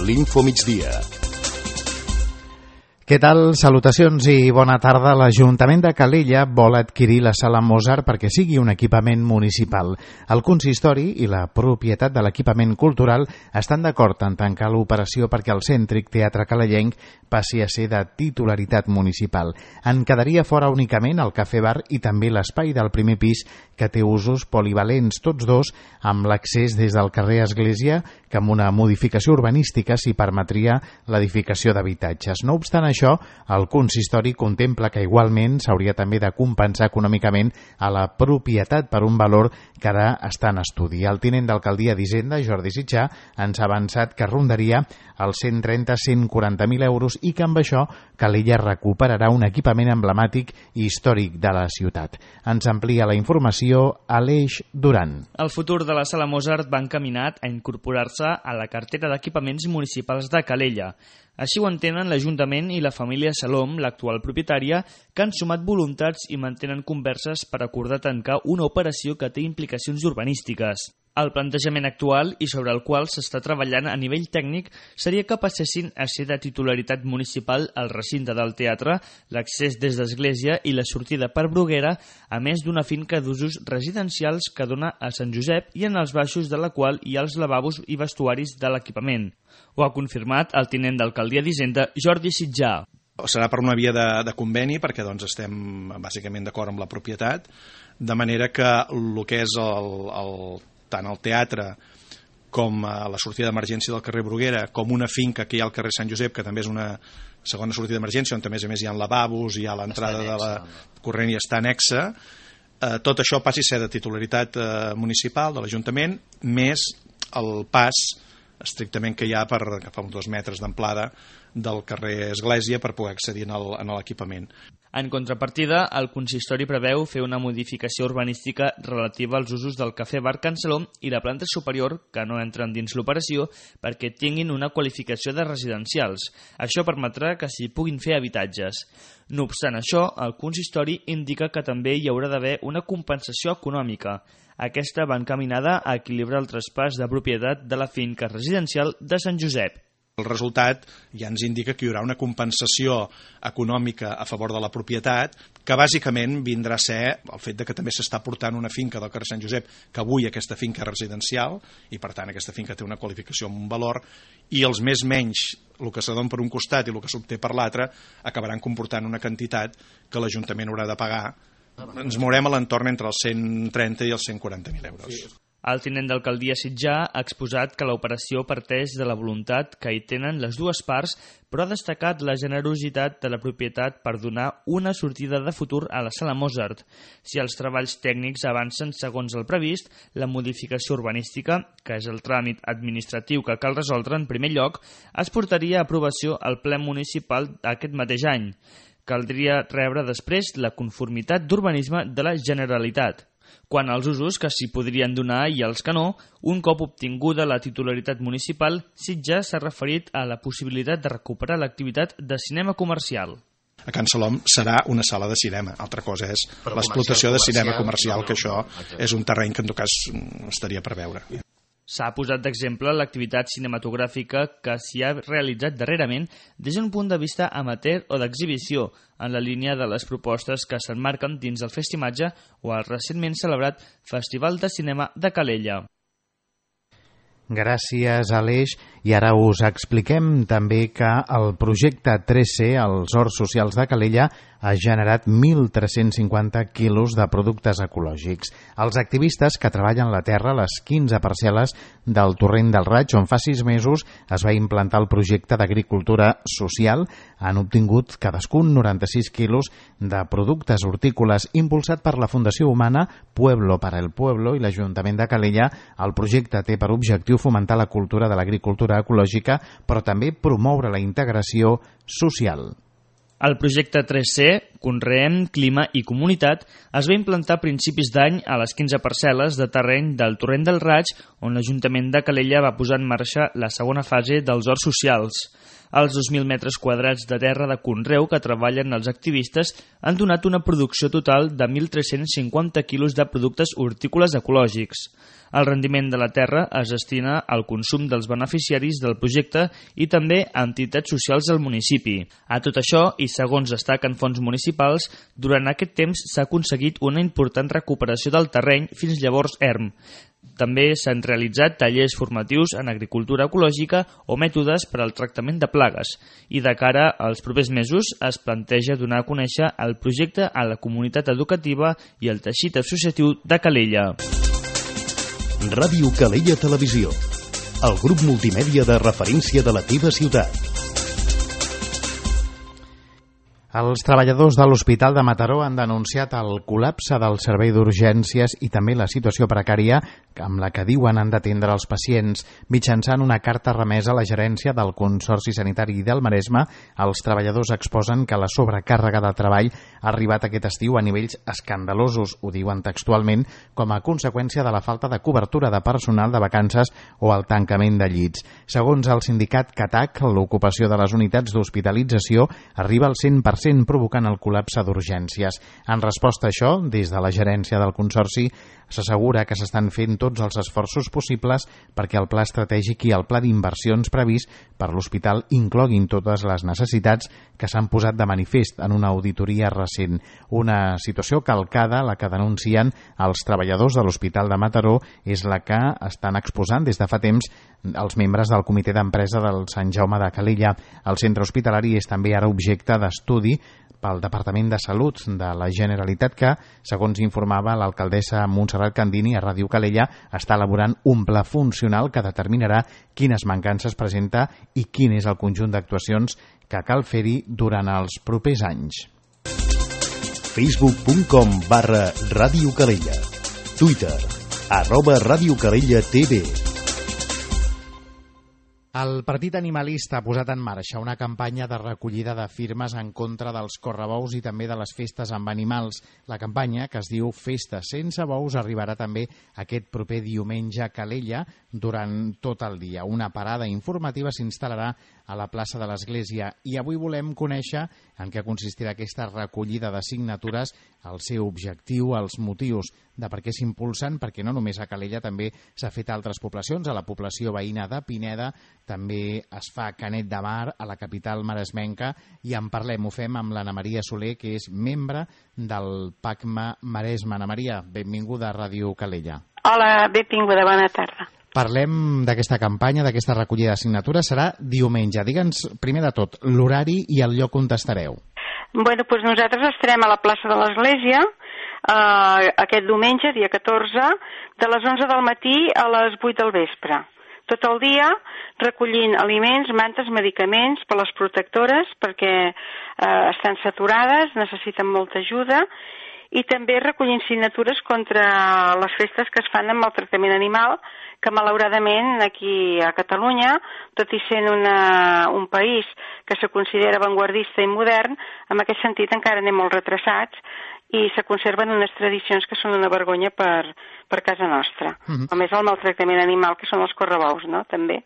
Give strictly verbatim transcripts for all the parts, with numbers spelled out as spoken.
l'Info Migdia. Què tal? Salutacions i bona tarda. L'Ajuntament de Calella vol adquirir la Sala Mozart perquè sigui un equipament municipal. El consistori i la propietat de l'equipament cultural estan d'acord en tancar l'operació perquè el cèntric Teatre Calellenc passi a ser de titularitat municipal. En quedaria fora únicament el cafè-bar i també l'espai del primer pis, que té usos polivalents, tots dos amb l'accés des del carrer Església, que amb una modificació urbanística s'hi permetria l'edificació d'habitatges. No obstant això, el consistori contempla que igualment s'hauria també de compensar econòmicament a la propietat per un valor que ara està en estudi. El tinent d'alcaldia d'Hisenda, Jordi Sitjà, ens ha avançat que rondaria els cent trenta a cent quaranta mil euros i que amb això Calella recuperarà un equipament emblemàtic i històric de la ciutat. Ens amplia la informació Aleix Duran. El futur de la Sala Mozart va encaminat a incorporar-se a la cartera d'equipaments municipals de Calella. Així ho entenen l'Ajuntament i la família Salom, l'actual propietària, que han sumat voluntats i mantenen converses per acordar tancar una operació que té implicacions urbanístiques. El plantejament actual i sobre el qual s'està treballant a nivell tècnic seria que passessin a ser de titularitat municipal el recinte del teatre, l'accés des d'Església i la sortida per Bruguera, a més d'una finca d'usos residencials que dona a Sant Josep i en els baixos de la qual hi ha els lavabos i vestuaris de l'equipament. Ho ha confirmat el tinent d'alcaldia d'Hisenda, Jordi Sitjà. Serà per una via de, de conveni, perquè doncs, estem bàsicament d'acord amb la propietat, de manera que el que és el, el, tant el teatre com la sortida d'emergència del carrer Bruguera, com una finca que hi ha al carrer Sant Josep, que també és una segona sortida d'emergència, on també a més hi ha lavabos, hi ha l'entrada de la corrent i està anexa, eh, tot això passi a ser de titularitat eh, municipal de l'Ajuntament, més el pas estrictament que hi ha per agafar uns dos metres d'amplada del carrer Església per poder accedir a l'equipament. En contrapartida, el consistori preveu fer una modificació urbanística relativa als usos del cafè-bar Can Salom i la planta superior, que no entren dins l'operació, perquè tinguin una qualificació de residencials. Això permetrà que s'hi puguin fer habitatges. No obstant això, el consistori indica que també hi haurà d'haver una compensació econòmica. Aquesta va encaminada a equilibrar el traspàs de propietat de la finca residencial de Sant Josep. El resultat ja ens indica que hi haurà una compensació econòmica a favor de la propietat, que bàsicament vindrà a ser el fet de que també s'està portant una finca del carrer Sant Josep, que avui aquesta finca és residencial, i per tant aquesta finca té una qualificació amb un valor, i els més menys, el que se dona per un costat i el que s'obté per l'altre, acabaran comportant una quantitat que l'Ajuntament haurà de pagar. Ens mourem a l'entorn entre els cent trenta i els cent quaranta mil euros. El tinent d'alcaldia Sitjà ha exposat que l'operació parteix de la voluntat que hi tenen les dues parts, però ha destacat la generositat de la propietat per donar una sortida de futur a la Sala Mozart. Si els treballs tècnics avancen segons el previst, la modificació urbanística, que és el tràmit administratiu que cal resoldre en primer lloc, es portaria a aprovació al ple municipal aquest mateix any. Caldria rebre després la conformitat d'urbanisme de la Generalitat. Quant als usos que s'hi podrien donar i els que no, un cop obtinguda la titularitat municipal, Sitjà s'ha referit a la possibilitat de recuperar l'activitat de cinema comercial. A Can Salom serà una sala de cinema, altra cosa és l'explotació de cinema comercial, que això és un terreny que en tot cas estaria per veure. S'ha posat d'exemple l'activitat cinematogràfica que s'hi ha realitzat darrerament des d'un punt de vista amateur o d'exhibició, en la línia de les propostes que s'emmarquen dins el Festimatge o el recentment celebrat Festival de Cinema de Calella. Gràcies, Aleix. I ara us expliquem també que el projecte tres C, els Horts Socials de Calella, ha generat mil tres-cents cinquanta quilos de productes ecològics. Els activistes que treballen la terra a les quinze parcel·les del Torrent del Raig, on fa sis mesos es va implantar el projecte d'agricultura social, han obtingut cadascun noranta-sis quilos de productes hortícoles impulsat per la Fundació Humana Pueblo para el Pueblo i l'Ajuntament de Calella. El projecte té per objectiu fomentar la cultura de l'agricultura ecològica, però també promoure la integració social. El projecte tres C, Conreem, Clima i Comunitat, es va implantar a principis d'any a les quinze parcel·les de terreny del Torrent del Raig, on l'Ajuntament de Calella va posar en marxa la segona fase dels horts socials. Els dos mil metres quadrats de terra de conreu que treballen els activistes han donat una producció total de mil tres-cents cinquanta quilos de productes hortícoles ecològics. El rendiment de la terra es destina al consum dels beneficiaris del projecte i també a entitats socials del municipi. A tot això, i segons destaquen fonts municipals, durant aquest temps s'ha aconseguit una important recuperació del terreny fins llavors erm. També s'han realitzat tallers formatius en agricultura ecològica o mètodes per al tractament de plagues i de cara als propers mesos es planteja donar a conèixer el projecte a la comunitat educativa i al teixit associatiu de Calella. Ràdio Calella Televisió, el grup multimèdia de referència de la teva ciutat. Els treballadors de l'Hospital de Mataró han denunciat el col·lapse del servei d'urgències i també la situació precària amb la que diuen han d'atendre els pacients. Mitjançant una carta remesa a la gerència del Consorci Sanitari del Maresme, els treballadors exposen que la sobrecàrrega de treball ha arribat aquest estiu a nivells escandalosos, ho diuen textualment, com a conseqüència de la falta de cobertura de personal de vacances o el tancament de llits. Segons el sindicat CATAC, l'ocupació de les unitats d'hospitalització arriba al cent per cent, provocant el col·lapse d'urgències. En resposta a això, des de la gerència del Consorci, s'assegura que s'estan fent tots els esforços possibles perquè el pla estratègic i el pla d'inversions previst per l'hospital incloguin totes les necessitats que s'han posat de manifest en una auditoria recent. Una situació calcada, la que denuncien els treballadors de l'Hospital de Mataró, és la que estan exposant des de fa temps els membres del comitè d'empresa del Sant Jaume de Calella. El centre hospitalari és també ara objecte d'estudi pel Departament de Salut de la Generalitat que, segons informava l'alcaldessa Montserrat Candini a Ràdio Calella, està elaborant un pla funcional que determinarà quines mancances presenta i quin és el conjunt d'actuacions que cal fer-hi durant els propers anys. facebook punt com barra Ràdio Calella. Twitter, arroba Ràdio Calella T V. El Partit Animalista ha posat en marxa una campanya de recollida de firmes en contra dels correbous i també de les festes amb animals. La campanya, que es diu Festa sense bous, arribarà també aquest proper diumenge a Calella durant tot el dia. Una parada informativa s'instal·larà a la plaça de l'Església i avui volem conèixer en què consistirà aquesta recollida de signatures, el seu objectiu, els motius de per què s'impulsen, perquè no només a Calella, també s'ha fet a altres poblacions, a la població veïna de Pineda, també es fa a Canet de Mar, a la capital maresmenca, i en parlem, ho fem amb l'Anna Maria Soler, que és membre del PACMA Maresme. Anna Maria, benvinguda a Ràdio Calella. Hola, benvinguda, bona tarda. Parlem d'aquesta campanya, d'aquesta recollida de signatures, serà diumenge. Digue'ns, primer de tot, l'horari i el lloc on estareu. Bueno, doncs nosaltres estarem a la plaça de l'Església eh, aquest diumenge, dia catorze, de les onze del matí a les vuit del vespre. Tot el dia recollint aliments, mantes, medicaments per les protectores perquè eh, estan saturades, necessiten molta ajuda, i també recollint signatures contra les festes que es fan amb el tractament animal, que malauradament aquí a Catalunya, tot i sent una, un país que se considera avantguardista i modern, en aquest sentit encara anem molt retrasats i se conserven unes tradicions que són una vergonya per, per casa nostra. Uh-huh. Com és el maltractament animal, que són els correbous, no?, també.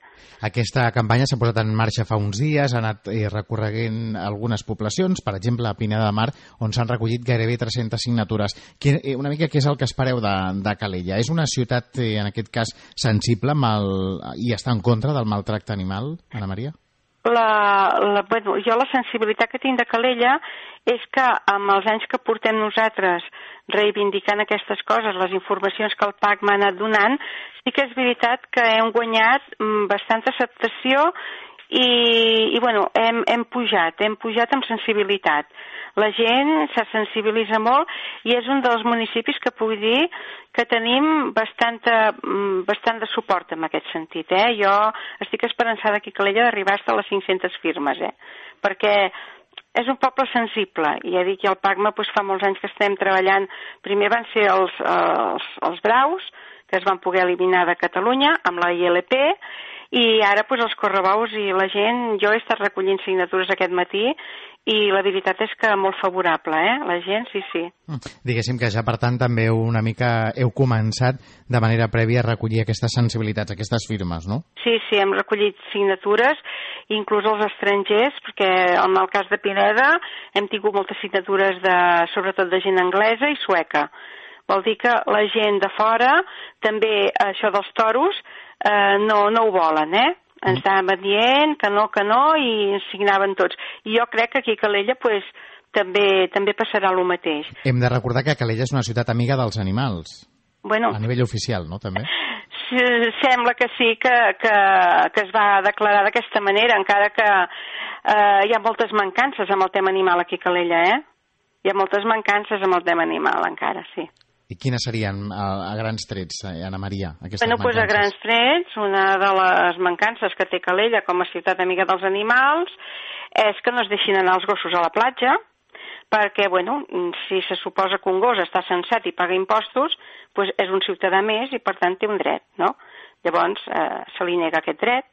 Aquesta campanya s'ha posat en marxa fa uns dies, ha anat eh, recorreguent algunes poblacions, per exemple a Pineda de Mar, on s'han recollit gairebé tres-centes signatures. Que, eh, una mica què és el que espereu de, de Calella? És una ciutat, eh, en aquest cas, sensible amb el, i està en contra del maltracte animal, Anna Maria? La, la, bueno, jo la sensibilitat que tinc de Calella és que amb els anys que portem nosaltres reivindicant aquestes coses, les informacions que el PAC m'ha anat donant, sí que és veritat que hem guanyat bastanta acceptació i, i bueno, hem, hem pujat, hem pujat amb sensibilitat. La gent se sensibilitza molt i és un dels municipis que puc dir que tenim bastanta, bastant de suport en aquest sentit. Eh? Jo estic esperançada aquí a Calella d'arribar a les cinc-centes firmes, eh? perquè és un poble sensible. I ja dic, i el PACMA doncs, fa molts anys que estem treballant. Primer van ser els, els, els braus, que es van poder eliminar de Catalunya amb la I L P, i ara doncs, els correbous i la gent, jo he estat recollint signatures aquest matí i la veritat és que molt favorable, eh? La gent, sí, sí. Diguéssim que ja, per tant, també una mica heu començat de manera prèvia a recollir aquestes sensibilitats, aquestes firmes, no? Sí, sí, hem recollit signatures, inclús els estrangers, perquè en el cas de Pineda hem tingut moltes signatures, de, sobretot de gent anglesa i sueca. Vol dir que la gent de fora, també això dels toros, eh, no, no ho volen, eh? Ens estaven dient que no, que no, i ens signaven tots. I jo crec que aquí a Calella pues, també també passarà el mateix. Hem de recordar que Calella és una ciutat amiga dels animals. Bueno, a nivell oficial, no?, també? Sembla que sí, que, que, que es va declarar d'aquesta manera, encara que eh, hi ha moltes mancances amb el tema animal aquí a Calella, eh? Hi ha moltes mancances amb el tema animal, encara, sí. I quines serien, a, a grans trets, Anna Maria, aquestes bueno, mancances? Pues a grans trets, una de les mancances que té Calella com a ciutat amiga dels animals és que no es deixin anar els gossos a la platja, perquè, bueno, si se suposa que un gos està censat i paga impostos, pues és un ciutadà més i, per tant, té un dret, no? Llavors, eh, se li nega aquest dret,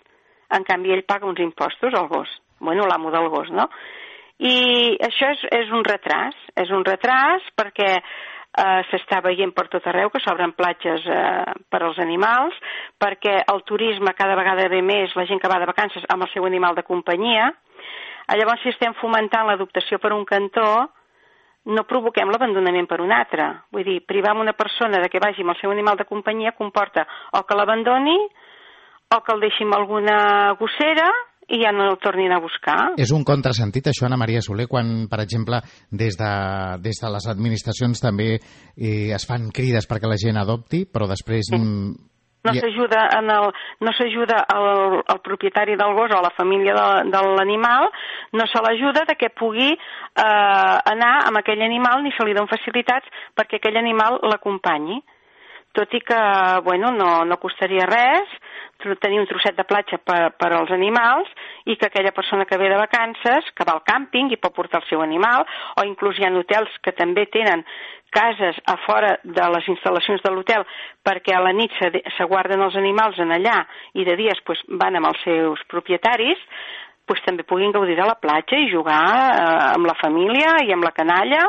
en canvi, ell paga uns impostos al gos, bueno, l'amo del gos, no? I això és, és un retras, és un retras perquè Uh, s'està veient per tot arreu que s'obren platges uh, per als animals, perquè el turisme cada vegada ve més, la gent que va de vacances amb el seu animal de companyia. Llavors, si estem fomentant l'adoptació per un cantó, no provoquem l'abandonament per un altre. Vull dir, privar una persona de que vagi amb el seu animal de companyia comporta o que l'abandoni o que el deixi amb alguna gossera i ja no el tornin a buscar. És un contrasentit, això, Anna Maria Soler, quan, per exemple, des de, des de les administracions també eh, es fan crides perquè la gent adopti, però després... Sí. No s'ajuda en el, no s'ajuda el, el propietari del gos o la família de, de l'animal, no se l'ajuda de que pugui eh, anar amb aquell animal ni se li donen facilitats perquè aquell animal l'acompanyi. Tot i que, bueno, no, no costaria res tenir un trosset de platja per, per als animals i que aquella persona que ve de vacances, que va al càmping i pot portar el seu animal, o inclús hi ha hotels que també tenen cases a fora de les instal·lacions de l'hotel perquè a la nit se, se guarden els animals en allà i de dies pues, van amb els seus propietaris, pues, també puguin gaudir de la platja i jugar eh, amb la família i amb la canalla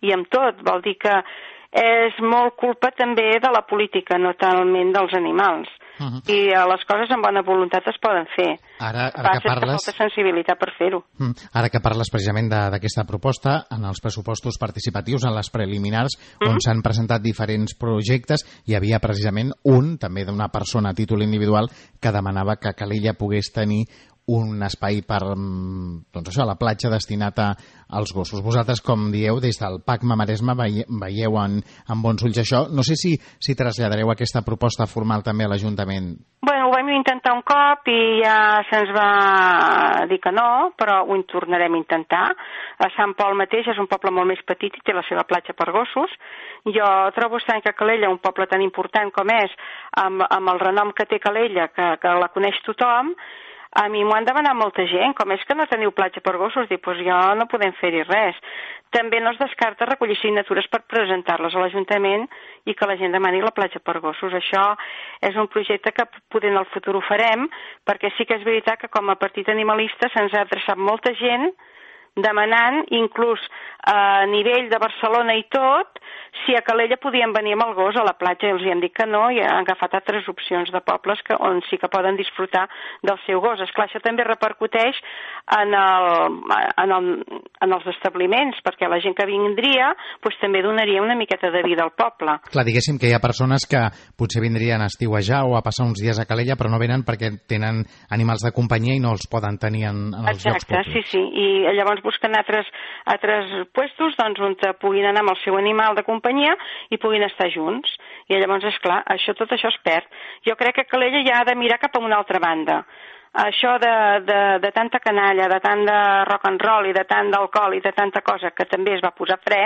i amb tot. Vol dir que és molt culpa també de la política, no talment dels animals. Uh-huh. I les coses amb bona voluntat es poden fer. Ara, ara que parles... Passa molta sensibilitat per fer-ho. Uh, ara que parles precisament d'aquesta proposta, en els pressupostos participatius, en les preliminars, uh-huh. on s'han presentat diferents projectes, hi havia precisament un, també d'una persona a títol individual, que demanava que Calella pogués tenir un espai per, doncs això, a la platja destinat a, als gossos. Vosaltres, com dieu, des del P A C Maresme veieu en, en bons ulls això. No sé si, si traslladareu aquesta proposta formal també a l'Ajuntament. Bueno, ho vam intentar un cop i ja se'ns va dir que no, però ho tornarem a intentar. A Sant Pol mateix és un poble molt més petit i té la seva platja per gossos. Jo trobo estrany que Calella, un poble tan important com és, amb, amb el renom que té Calella, que, que la coneix tothom, a mi m'ho han demanat molta gent, com és que no teniu platja per gossos? Dic, doncs jo no podem fer-hi res. També no es descarta recollir signatures per presentar-les a l'Ajuntament i que la gent demani la platja per gossos. Això és un projecte que poder en el futur ho farem, perquè sí que és veritat que com a partit animalista se'ns ha adreçat molta gent demanant, inclús a nivell de Barcelona i tot, si a Calella podien venir amb el gos a la platja, i els hi han dit que no, i han agafat altres opcions de pobles que, on sí que poden disfrutar del seu gos. Esclar, això també repercuteix en, el, en, el, en els establiments, perquè la gent que vindria pues, també donaria una miqueta de vida al poble. Clar, diguéssim que hi ha persones que potser vindrien a estiuejar o a passar uns dies a Calella, però no venen perquè tenen animals de companyia i no els poden tenir en, en els Exacte, llocs públics. Sí, sí, i llavors busquen altres, altres puestos doncs, on puguin anar amb el seu animal de companyia i puguin estar junts. I llavors, esclar, això, tot això es perd. Jo crec que Calella ja ha de mirar cap a una altra banda. Això de, de, de tanta canalla, de tant de rock and roll i de tant d'alcohol i de tanta cosa que també es va posar fre,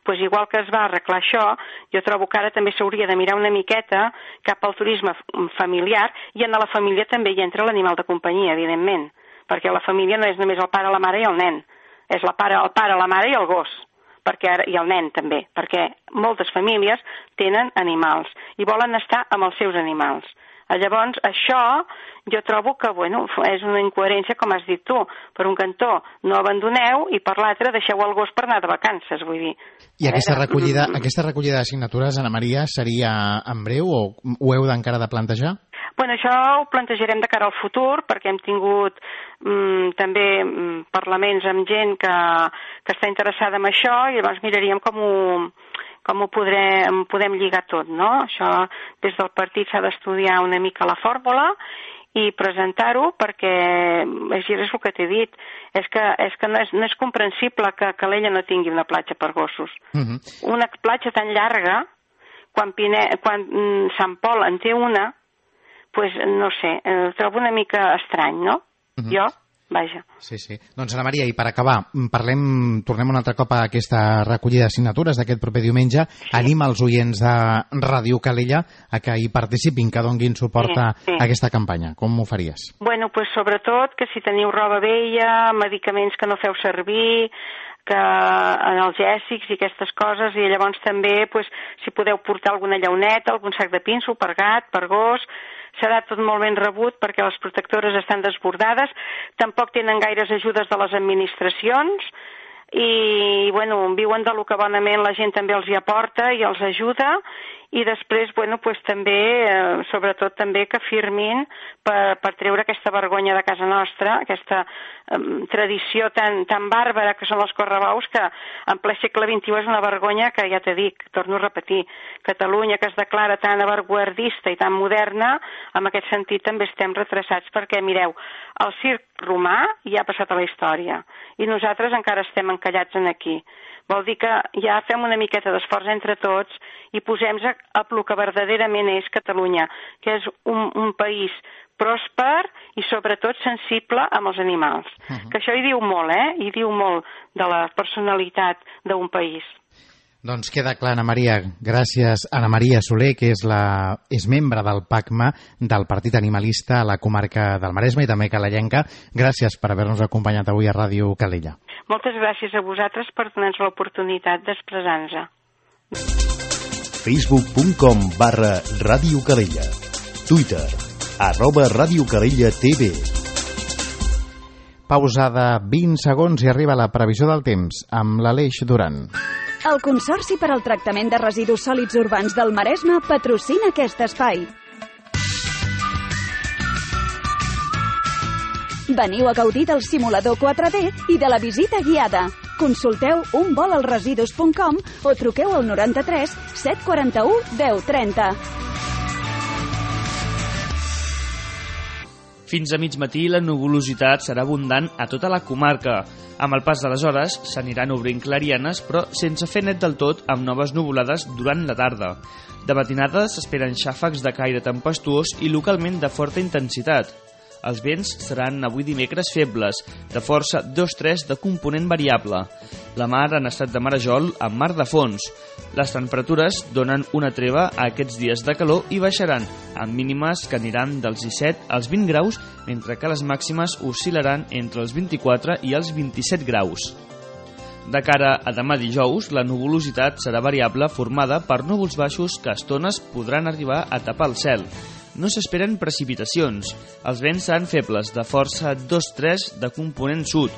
doncs igual que es va arreglar això, jo trobo que ara també s'hauria de mirar una miqueta cap al turisme familiar i en la família també hi entra l'animal de companyia, evidentment, perquè la família no és només el pare, la mare i el nen, és la pare, el pare, la mare i el gos, perquè ara, i el nen també, perquè moltes famílies tenen animals i volen estar amb els seus animals. Llavors, això jo trobo que, bueno, és una incoherència, com has dit tu. Per un cantó no abandoneu i per l'altre deixeu el gos per anar de vacances, vull dir. I aquesta recollida, aquesta recollida de signatures, Anna Maria, seria en breu o ho heu d'encara de plantejar? Bueno, això ho plantejarem de cara al futur, perquè hem tingut mm, també mm, parlaments amb gent que, que està interessada en això, i llavors miraríem com ho, com ho podrem, podem lligar tot, no? Això des del partit s'ha d'estudiar una mica la fórmula i presentar-ho, perquè és, és el que t'he dit, és que, és que no, és, no és comprensible que Calella no tingui una platja per gossos. Uh-huh. Una platja tan llarga, quan, Pine, quan mm, Sant Pol en té una, pues no sé, eh, trobo una mica estrany, no? Uh-huh. Jo, vaja. Sí, sí. Doncs, Anna Maria, i per acabar, parlem, tornem un altre cop a aquesta recollida de signatures d'aquest proper diumenge. Sí. Anima els oients de Ràdio Calella a que hi participin, que donguin suport sí, sí. a aquesta campanya. Com ho faries? Bueno, pues sobretot que si teniu roba vella, medicaments que no feu servir, que analgèsics i aquestes coses, i llavors també, pues, si podeu portar alguna llauneta, algun sac de pinso per gat, per gos, serà tot molt ben rebut perquè les protectores estan desbordades, tampoc tenen gaires ajudes de les administracions i, bueno, viuen de lo que bonament la gent també els hi aporta i els ajuda, i després, bueno, pues també, eh, sobretot també que firmin per, per treure aquesta vergonya de casa nostra, aquesta eh, tradició tan, tan bàrbara que són els correbaus, que en ple segle vint-i-u és una vergonya que, ja t'he dit, torno a repetir, Catalunya, que es declara tan avantguardista i tan moderna, en aquest sentit també estem retrasats, perquè, mireu, el circ romà ja ha passat a la història, i nosaltres encara estem encallats en aquí. Vol dir que ja fem una miqueta d'esforç entre tots i posem-nos a el que verdaderament és Catalunya, que és un, un país pròsper i sobretot sensible amb els animals. Uh-huh. Que això hi diu molt, eh? Hi diu molt de la personalitat d'un país. Doncs queda clar, Anna Maria. Gràcies, Anna Maria Soler, que és, la, és membre del PACMA del Partit Animalista a la comarca del Maresme i també calellenca. Gràcies per haver-nos acompanyat avui a Ràdio Calella. Moltes gràcies a vosaltres per donar-nos l'oportunitat d'expressar-nos. facebook punt com barra Ràdio Calella. Twitter, arroba Ràdio Calella T V. Pausa de vint segons i arriba la previsió del temps amb l'Aleix Duran. El Consorci per al Tractament de Residus Sòlids Urbans del Maresme patrocina aquest espai. Veniu a gaudir del simulador quatre D i de la visita guiada. Consulteu un vol al residus punt com o truqueu al noranta-tres set quaranta-u deu trenta. Fins a mig matí la nuvolositat serà abundant a tota la comarca. Amb el pas de les hores s'aniran obrint clarianes, però sense fer net del tot, amb noves nuvolades durant la tarda. De matinada s'esperen xàfecs de caire tempestuós i localment de forta intensitat. Els vents seran avui dimecres febles, de força dos tres de component variable. La mar en estat de marejol amb mar de fons. Les temperatures donen una treva a aquests dies de calor i baixaran, amb mínimes que aniran dels disset als vint graus, mentre que les màximes oscil·laran entre els vint-i-quatre i els vint-i-set graus. De cara a demà dijous, la nuvolositat serà variable formada per núvols baixos que a estones podran arribar a tapar el cel. No s'esperen precipitacions. Els vents seran febles, de força dos tres de component sud.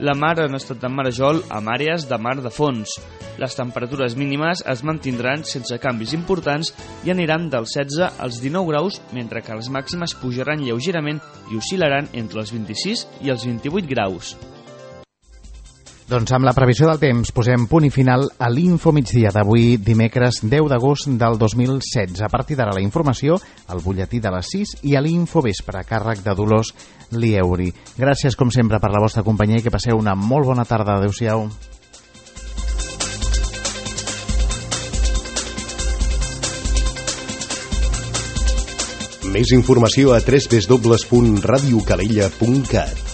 La mar en estat de marejol amb àrees de mar de fons. Les temperatures mínimes es mantindran sense canvis importants i aniran dels setze als dinou graus, mentre que les màximes pujaran lleugerament i oscil·laran entre els vint-i-sis i els vint-i-vuit graus. Doncs amb la previsió del temps posem punt i final a l'Info Migdia d'avui, dimecres deu d'agost del dos mil setze. A partir d'ara la informació, al butlletí de les sis i a l'Info Vespre, a càrrec de Dolors Lieuri. Gràcies, com sempre, per la vostra companyia i que passeu una molt bona tarda. Adéu-siau. Més informació a w w w punt radiocalella punt cat.